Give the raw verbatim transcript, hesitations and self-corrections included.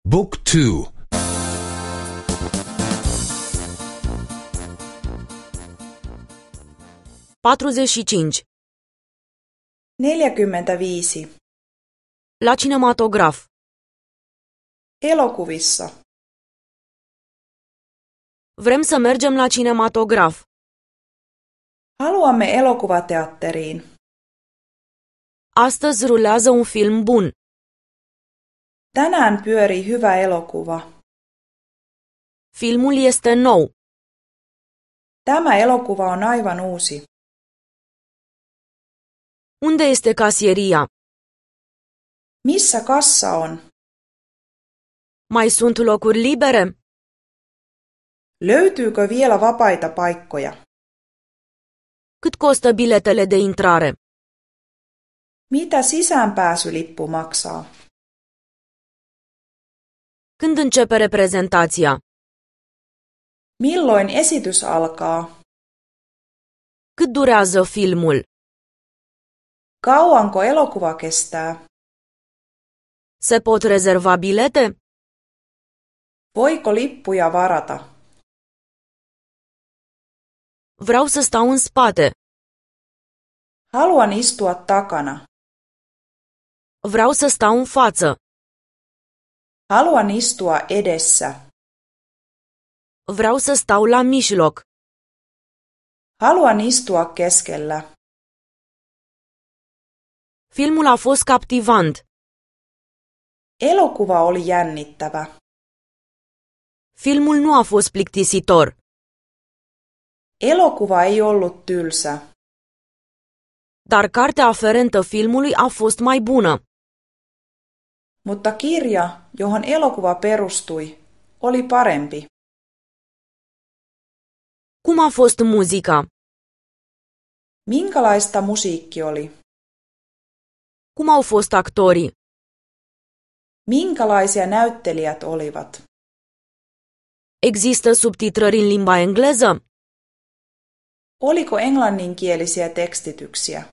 Book two. patruzeci și cinci. neljäkymmentäviisi. La cinematograf. Elokuvissa. Vrem să mergem la cinematograf. Haluamme elokuvateatteriin. Astăzi rulează un film bun. Tänään pyörii hyvä elokuva. Filmul este nou. Tämä elokuva on aivan uusi. Unde este casieria? Missä kassa on? Mai sunt locuri libere? Löytyykö vielä vapaita paikkoja? Cât costă biletele de intrare? Mitä sisäänpääsylippu maksaa? Când începe reprezentația? Milloin esitys alkaa? Cât durează filmul? Kauanko elokuva kestää? Se pot rezerva bilete? Voiko lippuja varata? Vreau să stau în spate. Haluan istua takana. Vreau să stau în față. Haluan istua edessä. Vreau să stau la mijloc. Haluan istua keskellä. Filmul a fost captivant. Elokuva oli jännittävä. Filmul nu a fost plictisitor. Elokuva ei ollut tylsä. Dar cartea aferentă filmului a fost mai bună. Mutta kirja, johon elokuva perustui, oli parempi. Cum a fost muzica? Minkälaista musiikki oli? Cum au fost actorii? Minkälaisia näyttelijät olivat? Există subtitrări în limba engleză? Oliko englanninkielisiä tekstityksiä?